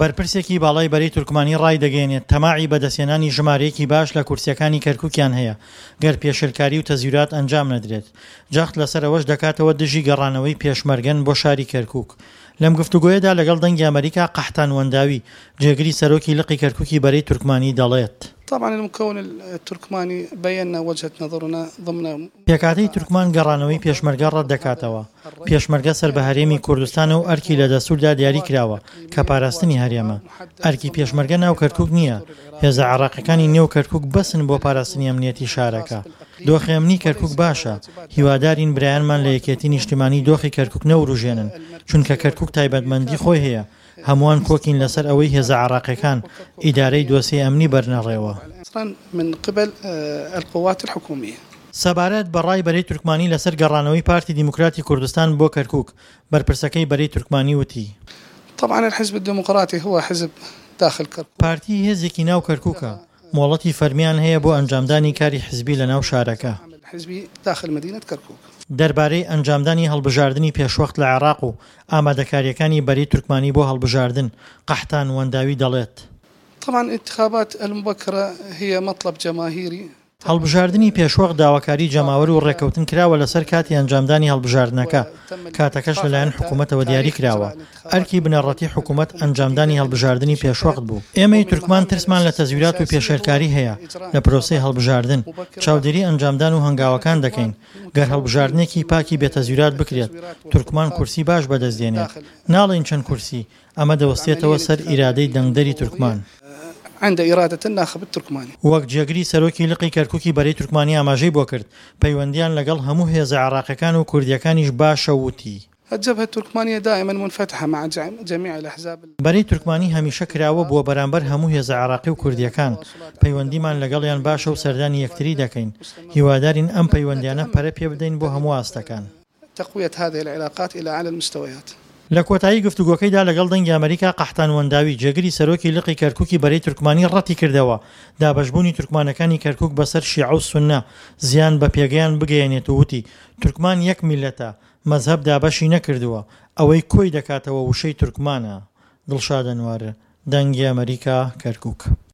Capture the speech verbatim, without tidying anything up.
بەرپرسێکی باڵای بەرەی تورکمانی ڕایدەگەیەنێت، تەماعی بەدەستهێنانی ژمارەیەکی باش لە کورسییەکانی کەرکوکیان هەیە، گەر پێشێلکاری و تەزویرات ئەنجام نەدرێت. جەخت لەسەر ئەوەش دەکاتەوە دژی گەڕانەوەی پێشمەرگەن بۆ شاری کەرکوک. لەم گفتوگۆیەدا لەگەڵ دەنگی ئەمەریکا قەحتان وەنداوی، جێگری سەرۆکی لقی کەرکوکی بەرەی تورکمانی دەڵێت. طبعا المكون التركماني بينا وجهة نظرنا ضمن پێکهاتەی تورکمان گەڕانەوەی پێشمەرگە ڕەتدەکاتەوە، پێشمەرگە سەر بە هەرێمی کوردستانە و ئەرکی لە دەستوردا دیاری کراوە کە پاراستنی هەرێمە. ئەرکی پێشمەرگە ناو کەرکوک نییە، هێزە عێراقیەکانی نێو کەرکوک بەسن بۆ پاراستنی ئەمنیەتی شارەکە. دۆخی ئەمنی کەرکوک باشە، هیوادارین برایانمان لە یەکێتی نیشتیمانی دۆخی کەرکوک نەوروژێنن، چونکە کەرکوک تایبەتمەندی خۆی هەیە، هەمووان کۆکین لەسەر ئەوەی هێزە عێراقیەکان ئیدارەی دۆسیەی ئەمنی بەرنەڕێوە. من قبل القوات الحکومیە. سەبارەت بە ڕای بەرەی تورکمانی لەسەر گەڕانەوەی پارتی دیموکراتی کوردستان بۆ کەرکوک، بەرپرسەکەی بەرەی تورکمانی وتی. طبعا الحزب الديمقراطي هو حزب داخل کرکوک. پارتی هێزێکی ناو کەرکوکە، مۆڵەتی فەرمییان هەیە بۆ ئەنجامدانی کاری حزبی لەناو شارەکە. دەربارەی ئەنجامدانی هەڵبژاردنی پێشوەخت لە عێراق و ئامادەکارییەکانی بەرەی تورکمانی بۆ هەڵبژاردن، قەحتان وەنداوی دەڵێت. طبعا الانتخابات المبکرە هی مطلب جماهیری. هەڵبژاردنی پێشوەخت داواکاری جەماوەر و ڕێککەوتن کراوە لەسەر کاتی ئەنجامدانی هەڵبژاردنەکە، کاتەکەش لەلایەن حکومەتەوە دیاری کراوە، ئەرکی بنەڕەتی حکومەت ئەنجامدانی هەڵبژاردنی پێشوەخت بوو. ئێمەی تورکمان ترسمان لە تەزویرات و پێشێلکاری هەیە لە پرۆسەی هەڵبژاردن، چاودێری ئەنجامدان و هەنگاوەکان دەکەین، گەر هەڵبژاردنێکی پاکی بێ تەزویرات بکرێت، تورکمان کورسی باش بەدەست دێنێت، ناڵێین چەند کورسی، ئەمە دەوەستێتەوە سەر ئیرادەی دەنگدەری تورکمان. عند ارادە الناخب الترکمانی. وەک جێگری سەرۆکی لقی کەرکوکی بەرەی تورکمانی ئاماژەی بۆ کرد، پەیوەندییان لەگەڵ هەموو هێزە عێراقییەکان و کوردییەکانیش باشە و وتی. الجبهە الترکمانیە دائما منفتحە مع جميع الاحزاب. بەرەی تورکمانی هەمیشە کراوە بووە بەرامبەر هەموو هێزە عێراقی و کوردییەکان، پەیوەندیمان لەگەڵیان باشە و سەردانی یەکتری دەکەین، هیوادارین ئەم پەیوەندییانە پەرە پێبدەین بۆ هەموو ئاستەکان. تقویة هذه العلاقات الى اعلى المستويات. لە کۆتایی گفتوگۆکەیدا لەگەڵ دەنگی ئەمەریکا قەحتان وەنداوی، جێگری سەرۆکی لقی کەرکوکی بەرەی تورکمانی ڕەتیکردەوە دابەشبوونی تورکمانەکانی کەرکوک بەسەر شیعە و سوننە زیان بە پێگەیان بگەیەنێت و وتی تورکمان یەک میللەتە، مەزهەب دابەشی نەکردووە، ئەوەی کۆی دەکاتەوە وشەی تورکمانە. دڵشاد ئەنوەر، دەنگی ئەمەریکا، کەرکوک.